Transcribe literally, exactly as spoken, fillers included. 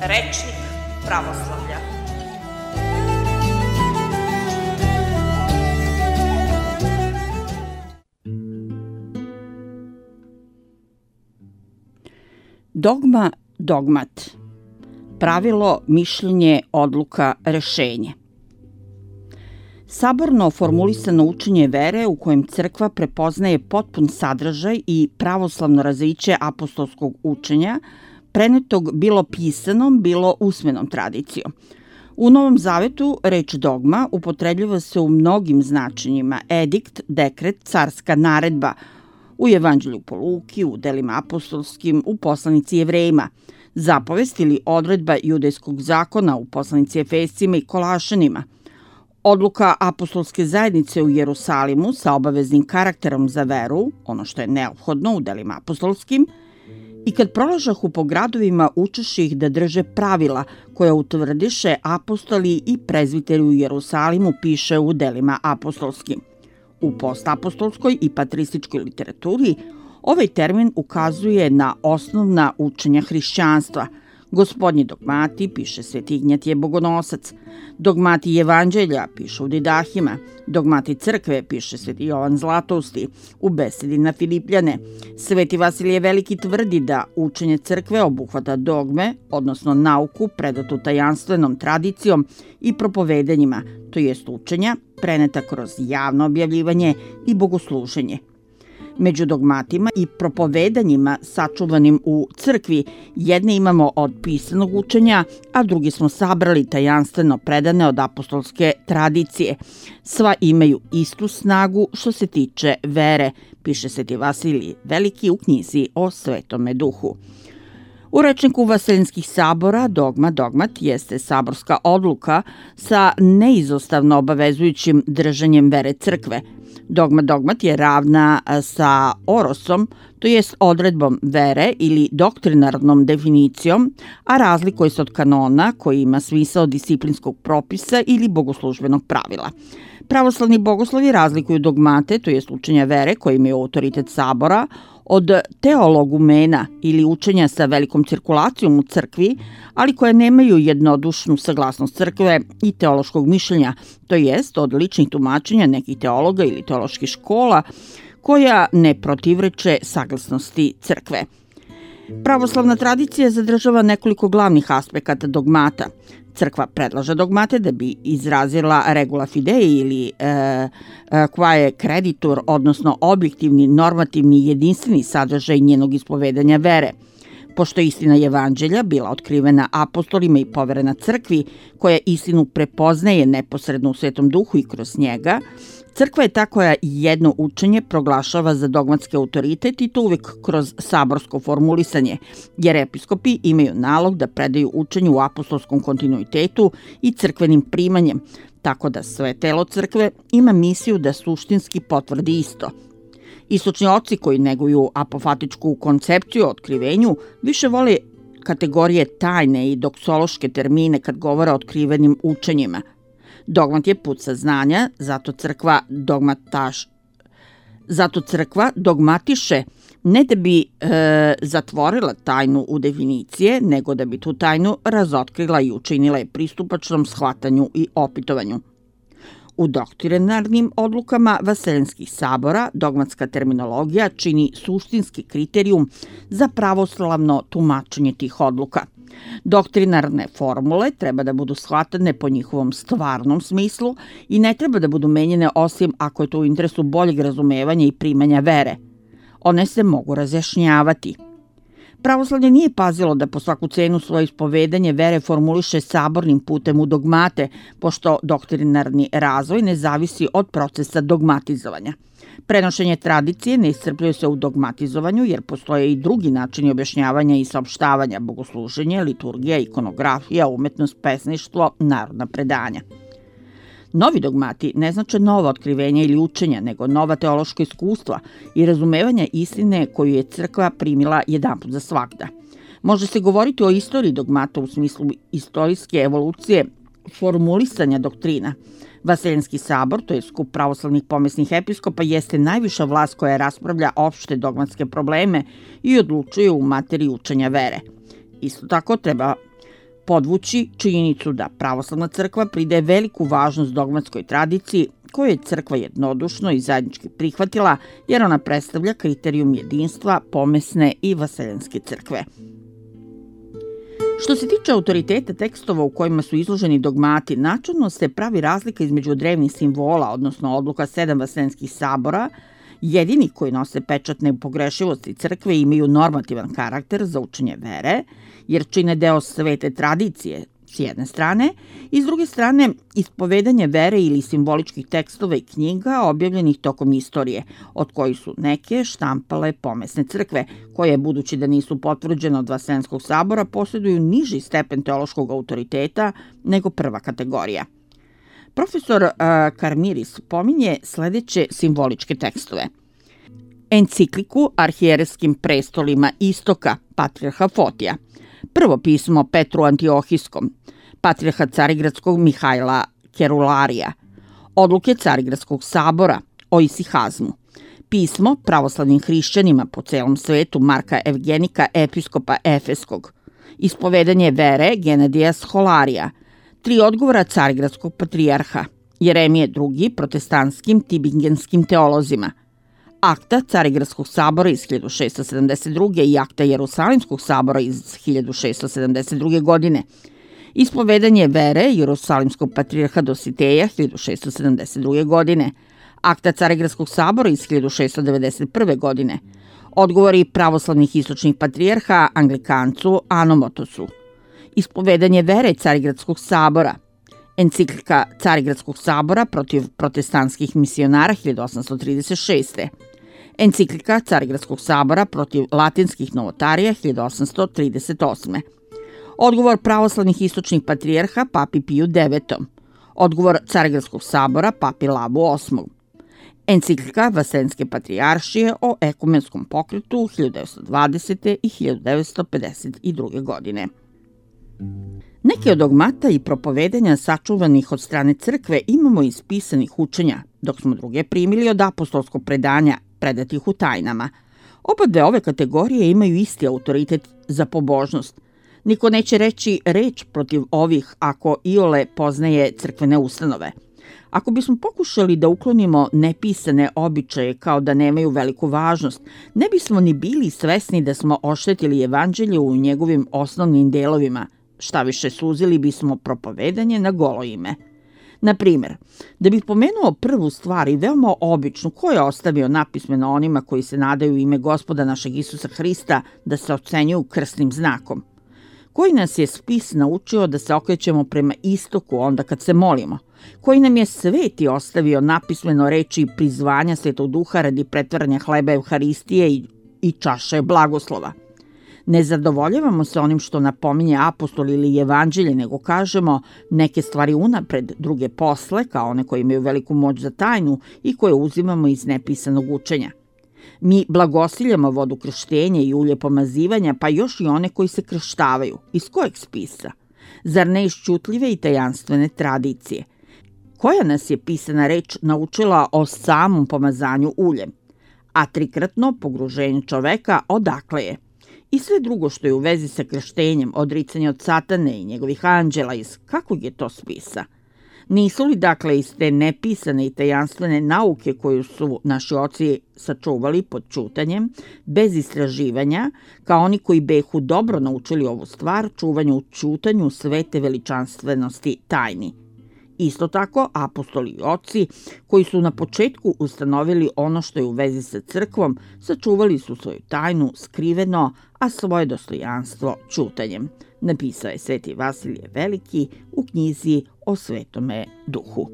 Rečnik pravoslavlja. Dogma, dogmat. Pravilo, mišljenje, odluka, rešenje. Saborno formulisano učenje vere u kojem crkva prepoznaje potpun sadržaj i pravoslavno razviće apostolskog učenja, prenetog bilo pisanom, bilo usmenom tradicijom. U Novom zavetu reč dogma upotrebljava se u mnogim značenjima: edikt, dekret, carska naredba, u Evanđelju po Luki, u delima apostolskim, u poslanici Jevrejima, zapovest ili odredba judejskog zakona u poslanici Efescima i Kolašanima, odluka apostolske zajednice u Jerusalimu sa obaveznim karakterom za veru, ono što je neophodno u delima apostolskim, i kad prolažahu po gradovima učeši ih da drže pravila koja utvrdiše apostoli i prezviteri u Jerusalimu, piše u delima apostolskim. U postapostolskoj i patrističkoj literaturi ovaj termin ukazuje na osnovna učenja hrišćanstva. Gospodnji dogmati, piše Sveti Ignjatije Bogonosac, dogmati Evanđelja, piše u Didahima, dogmati crkve, piše Sveti Jovan Zlatousti, u besedi na Filipljane. Sveti Vasilije Veliki tvrdi da učenje crkve obuhvata dogme, odnosno nauku predatu tajanstvenom tradicijom i propovedanjima, to jest učenja preneta kroz javno objavljivanje i bogosluženje. Među dogmatima i propovedanjima sačuvanim u crkvi jedne imamo od pisanog učenja, a drugi smo sabrali tajanstveno predane od apostolske tradicije. Sva imaju istu snagu što se tiče vere, piše Sveti Vasilij Veliki u knjizi o Svetome Duhu. U rečniku Vaseljenskih sabora dogma, dogmat jeste saborska odluka sa neizostavno obavezujućim držanjem vere crkve. Dogma, dogmat je ravna sa orosom, to jest odredbom vere ili doktrinarnom definicijom, a razlikuje se od kanona koji ima smisao disciplinskog propisa ili bogoslužbenog pravila. Pravoslavni bogoslovi razlikuju dogmate, to jest učenja vere koji imaju autoritet sabora, od teologumena ili učenja sa velikom cirkulacijom u crkvi, ali koje nemaju jednodušnu saglasnost crkve i teološkog mišljenja, to jest od ličnih tumačenja nekih teologa ili teoloških škola koja ne protivreče saglasnosti crkve. Pravoslavna tradicija zadržava nekoliko glavnih aspekata dogmata. Crkva predlaže dogmate da bi izrazila regula fidei ili e, e, quae creditur, odnosno objektivni, normativni i jedinstveni sadržaj njenog ispovedanja vere. Pošto je istina Evanđelja bila otkrivena apostolima i poverena crkvi, koja istinu prepoznaje neposredno u Svetom Duhu i kroz njega, crkva je ta koja jedno učenje proglašava za dogmatski autoritet i to uvek kroz saborsko formulisanje, jer episkopi imaju nalog da predaju učenje u apostolskom kontinuitetu i crkvenim primanjem, tako da sve telo crkve ima misiju da suštinski potvrdi isto. Istočni oci koji neguju apofatičku koncepciju o otkrivenju više vole kategorije tajne i doksološke termine kad govore o otkrivenim učenjima. Dogmat je put saznanja, zato crkva dogmataš, zato crkva dogmatiše ne da bi e, zatvorila tajnu u definicije, nego da bi tu tajnu razotkrila i učinila je pristupačnom shvatanju i opitovanju. U doktrinarnim odlukama Vaseljenskih sabora dogmatska terminologija čini suštinski kriterijum za pravoslavno tumačenje tih odluka. Doktrinarne formule treba da budu shvatane po njihovom stvarnom smislu i ne treba da budu menjene osim ako je to u interesu boljeg razumevanja i primanja vere. One se mogu razjašnjavati. Pravoslavlje nije pazilo da po svaku cenu svoje ispovedanje vere formuliše sabornim putem u dogmate, pošto doktrinarni razvoj ne zavisi od procesa dogmatizovanja. Prenošenje tradicije ne iscrpljuje se u dogmatizovanju, jer postoje i drugi načini objašnjavanja i saopštavanja: bogosluženje, liturgija, ikonografija, umetnost, pesništvo, narodna predanja. Novi dogmati ne znače nova otkrivenja ili učenja, nego nova teološka iskustva i razumevanja istine koju je crkva primila jedanput za svagda. Može se govoriti o istoriji dogmata u smislu istorijske evolucije formulisanja doktrina. Vaseljenski sabor, to je skup pravoslavnih pomesnih episkopa, jeste najviša vlast koja raspravlja opšte dogmatske probleme i odlučuje u materiji učenja vere. Isto tako treba podvući činjenicu da pravoslavna crkva pridaje veliku važnost dogmatskoj tradiciji koju je crkva jednodušno i zajednički prihvatila jer ona predstavlja kriterijum jedinstva pomesne i vaseljanske crkve. Što se tiče autoriteta tekstova u kojima su izloženi dogmati, načelno se pravi razlika između drevnih simbola, odnosno odluka sedam vaseljanskih sabora, jedini koji nose pečat nepogrešivosti crkve imaju normativan karakter za učenje vere, jer čine deo svete tradicije s jedne strane, i s druge strane ispovedanje vere ili simboličkih tekstova i knjiga objavljenih tokom istorije, od kojih su neke štampale pomesne crkve, koje, budući da nisu potvrđene od Vaseljanskog sabora, posjeduju niži stepen teološkog autoriteta nego prva kategorija. Profesor uh, Karmiris pominje sledeće simboličke tekstove. Encikliku arhijerejskim prestolima Istoka, patrijarha Fotija, prvo pismo Petru Antiohijskom, patrijarha Carigradskog Mihajla Kerularija, odluke Carigradskog sabora o isihazmu, pismo pravoslavnim hrišćanima po celom svetu Marka Evgenika, episkopa Efeskog, ispovedanje vere Genadija Scholarija, tri odgovora Carigradskog patrijarha, Jeremije drugi protestantskim tibingenskim teolozima, akta Carigradskog sabora iz hiljadu šeststo sedamdeset druge. i akta Jerusalimskog sabora iz hiljadu šeststo sedamdeset druge. godine, ispovedanje vere Jerusalimskog patrijarha Dositeja hiljadu šeststo sedamdeset druge. godine, akta Carigradskog sabora iz hiljadu šeststo devedeset prve. godine, odgovori pravoslavnih istočnih patrijarha Anglikancu Anomotosu, ispovedanje vere Carigradskog sabora, enciklika Carigradskog sabora protiv protestantskih misionara hiljadu osamsto trideset šeste. Enciklika Carigradskog sabora protiv latinskih novotarija hiljadu osamsto trideset osme. Odgovor pravoslavnih istočnih patrijarha papi Piju devetom. Odgovor Carigradskog sabora papi Lavu osmom. Enciklika Vaseljanske patrijaršije o ekumenskom pokretu hiljadu devetsto dvadesete. i hiljadu devetsto pedeset druge. godine. Neke od dogmata i propovedanja sačuvanih od strane crkve imamo iz pisanih učenja, dok smo druge primili od apostolskog predanja predatih u tajnama. Oba dve ove kategorije imaju isti autoritet za pobožnost. Niko neće reći reč protiv ovih ako iole poznaje crkvene ustanove. Ako bismo pokušali da uklonimo nepisane običaje kao da nemaju veliku važnost, ne bismo ni bili svesni da smo oštetili evanđelje u njegovim osnovnim delovima, šta više suzili bismo propovedanje na golo ime. Na primer, da bih pomenuo prvu stvar i veoma običnu, ko je ostavio napismeno onima koji se nadaju ime Gospoda našeg Isusa Hrista da se ocenjuju krstnim znakom? Koji nas je spis naučio da se okrećemo prema istoku onda kad se molimo? Koji nam je sveti ostavio napismeno reči prizvanja Svetog Duha radi pretvaranja hleba Evharistije i, i čaše blagoslova? Ne zadovoljavamo se onim što napominje apostol ili evanđelje, nego kažemo neke stvari unapred, druge posle, kao one koje imaju veliku moć za tajnu i koje uzimamo iz nepisanog učenja. Mi blagosiljamo vodu krštenja i ulje pomazivanja, pa još i one koji se krštavaju. Iz kojeg spisa? Zar ne iz čutljive i tajanstvene tradicije? Koja nas je pisana reč naučila o samom pomazanju uljem? A trikratno pogruženje čoveka odakle je? I sve drugo što je u vezi sa krštenjem, odricanje od satane i njegovih anđela, iz kakvog je to spisa? Nisu li dakle iz te nepisane i tajanstvene nauke koju su naši oci sačuvali pod čutanjem, bez istraživanja, kao oni koji behu dobro naučili ovu stvar, čuvanju u čutanju svete veličanstvenosti tajni? Isto tako, apostoli i oci, koji su na početku ustanovili ono što je u vezi sa crkvom, sačuvali su svoju tajnu skriveno, a svoje dostojanstvo čutanjem. Napisao je Sveti Vasilije Veliki u knjizi o Svetome Duhu.